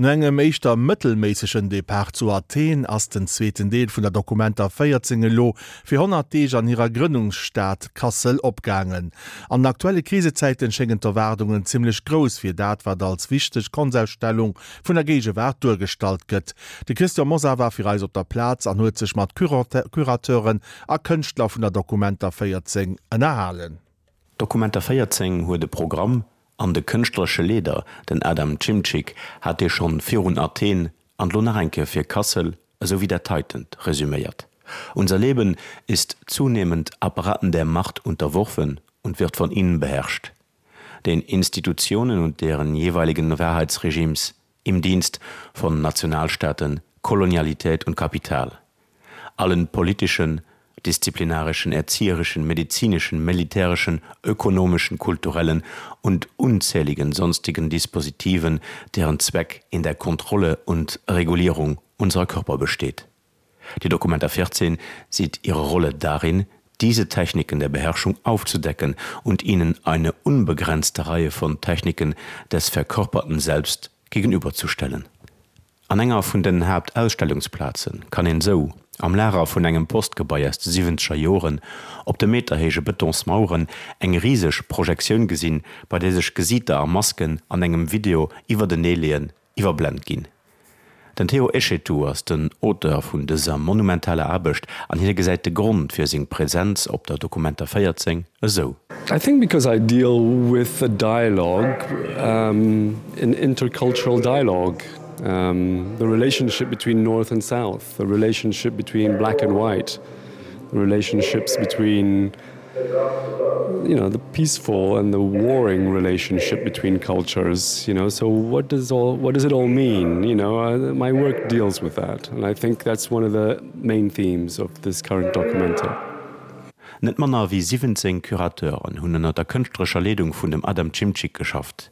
No engem éischter mëttelméissegen Depart zu Athen ass den zweeten Deel vun der Documenta 14 elo fir 100 Deeg an hirer Grënnungsstad Kassel opgaangen. An den aktuelle Krisezäiten schéngen d'Erwaardungen zimmlech grouss fir dat, wat als wichteg Konstausstellung vun der Géigewaart duergestallt gëtt. De Christian Mosar war fir eis op der Plaz an huet sech mat Curateuren a Kënschtler vun der Documenta 14 ënnerhalen. Documenta 14 huet e Programm, an de kënschtleresche Leeder, den Adam Szymczyk, hat dee schonn virun Athen an lo nach eng Kéier fir Kassel, esou wéi dat heitent resüméiert, Unser Leben ist zunehmend Apparaten der Macht unterworfen und wird von ihnen beherrscht. Den Institutionen und deren jeweiligen Wahrheitsregimes im Dienst von Nationalstaaten, Kolonialität und Kapital. Allen politischen, disziplinarischen, erzieherischen, medizinischen, militärischen, ökonomischen, kulturellen und unzähligen sonstigen Dispositiven, deren Zweck in der Kontrolle und Regulierung unserer Körper besteht. Die Documenta 14 sieht ihre Rolle darin, diese Techniken der Beherrschung aufzudecken und ihnen eine unbegrenzte Reihe von Techniken des verkörperten Selbst gegenüberzustellen. An enger vun den Haaptausstellungsplaze kann een sou, am Lager vun engem Postgebai aus de siwwenzeger Joren, op de meterhéije Betonsmaueren eng riseg Projektioun gesinn, bei där sech Gesiiter a Masken an engem Video iwwerteneeleeën, iwwerblent ginn. Den Théo Echetou ass den Auteur vun dëser monumentaler Aarbecht an hie gesäit de Grond fir seng Präsenz op der Documenta 14 esou. I think because I deal with a dialogue, an intercultural dialogue, the relationship between North and South, the relationship between black and white, the relationships between you know the peaceful and the warring relationship between cultures you know so what does all what does it all mean you know uh, my work deals with that and I think that's one of the main themes of this current documenta. Net manner wéi 17 Curateuren hunn ënner der kënschtlerescher Leedung vun dem Adam Szymczyk geschafft.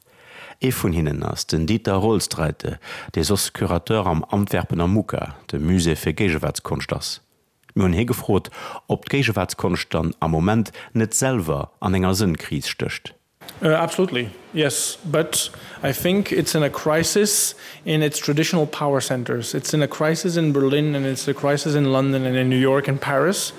Ee vun hinnen ass den Dieter Roelstraete, dee soss Curateur am Antwerpener MUCA, dem Musée fir Géigewaartskonscht ass. Mir hunn hie gefrot, ob d'Géigewaartskonscht dann am Moment net selwer an enger Sënnkris stécht. Absolutely, yes, but I think it's in a crisis in its traditional power centers. It's in a crisis in Berlin and it's a crisis in London and in New York and Paris.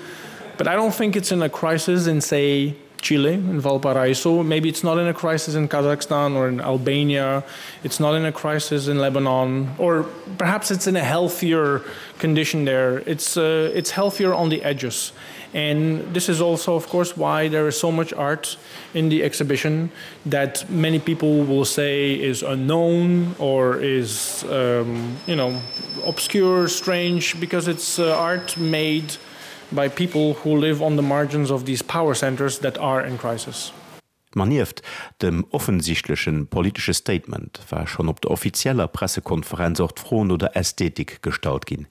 But I don't think it's in a crisis in, say, Chile, in Valparaiso. Maybe it's not in a crisis in Kazakhstan or in Albania. It's not in a crisis in Lebanon, or perhaps it's in a healthier condition there. It's, uh, it's healthier on the edges. And this is also, of course, why there is so much art in the exhibition that many people will say is unknown or is um, you know, obscure, strange, because it's uh, art made by people who live on the margins of these power centers that are in crisis. Ma nieft dem offensichtleche politesche Statement war schonn op der offizieller Pressekonferenz och d'Fro no der Ästhetik gestallt ginn.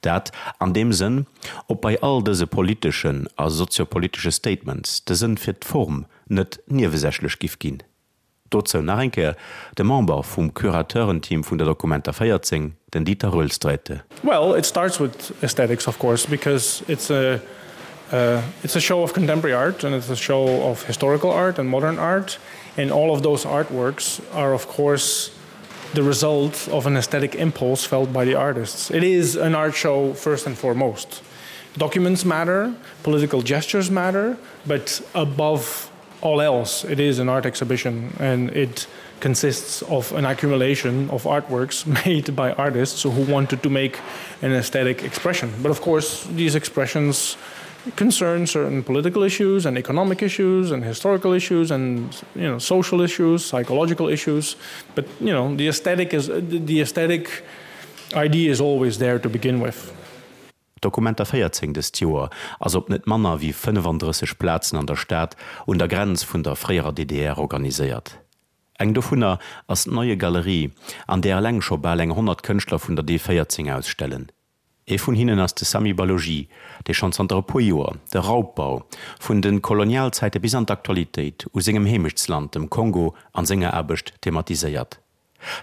Dat an deem Sënn, ob bei all dëse politeschen a soziopolitesche Statements de Sënn fir d'Form net niewesächlech giff ginn. Dozou nach eng Kéier de Member vum Curateurenteam vun der Documenta 14, den Dieter Roelstraete. Well, it starts with aesthetics, of course, because it's a uh, it's a show of contemporary art and it's a show of historical art and modern art and all of those artworks are of course the result of an aesthetic impulse felt by the artists. It is an art show first and foremost. Documents matter, political gestures matter, but above all else it is an art exhibition and it consists of an accumulation of artworks made by artists who wanted to make an aesthetic expression. But of course, these expressions concern certain political issues and economic issues and historical issues and you know social issues, psychological issues. But you know the aesthetic is the aesthetic idea is always there to begin with. Documenta 14 dëst Joer ass op net manner wéi 35 Plazen an der Stad un der Grenz vun der fréierer DDR organiséiert. Eng dovunner ass d'Neue Galerie, an där eleng scho bal eng 100 Kënschtler vun der D 14 ausstellen. Ee vun hinnen ass de Samy Baloji, dee schonn zanter e puer Joer de Raubbau vun de Kolonialzäite bis an d'Aktualitéit u sengem Heemechtsland, dem Kongo, an senger Aarbecht thematiséiert.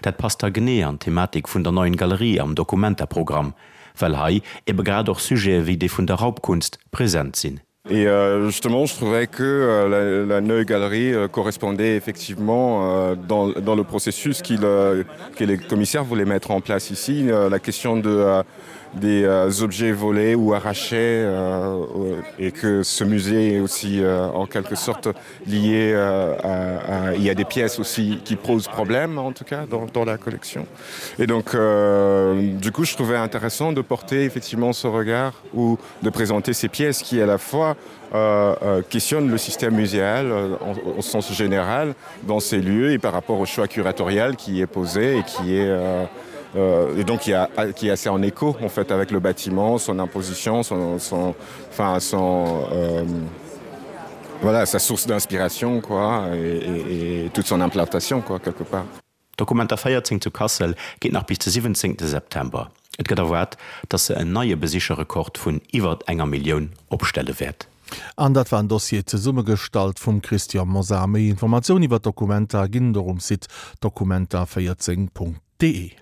Dat passt da genee an d'Thematik vun der Neuen Galerie am Documenta-Programm, well hei ebe grad och Sujete wéi dee vun der Raubkunst present sinn. Et euh, justement, je trouvais que euh, la, la Neue Galerie euh, correspondait effectivement euh, dans, dans le processus qu'il euh, que les commissaires voulaient mettre en place ici, euh, la question de euh, des euh, objets volés ou arrachés euh, et que ce musée est aussi euh, en quelque sorte lié euh, à, à, il y a des pièces aussi qui posent problème en tout cas dans, dans la collection. Et donc euh, du coup je trouvais intéressant de porter effectivement ce regard ou de présenter ces pièces qui à la fois euh, euh, questionnent le système muséal euh, en, au sens général dans ces lieux et par rapport au choix curatorial qui est posé et qui est euh, euh, et donc qui, a, qui est assez en écho en fait avec le bâtiment, son imposition, son, son, enfin, son, euh, voilà, sa source d'inspiration quoi et, et, et toute son implantation quoi quelque part. Documenta 14 zu Kassel geet nach bis de 17 September. Et gëtt erwaart, datt se en neie Besicherrekord vun iwwert enger Millioun opstelle wäert. An dat war en Dossier zesummegestallt vum Christian Mosar. Méi Informatioun iwwer d'Documenta ginn et och um Site documenta14.de.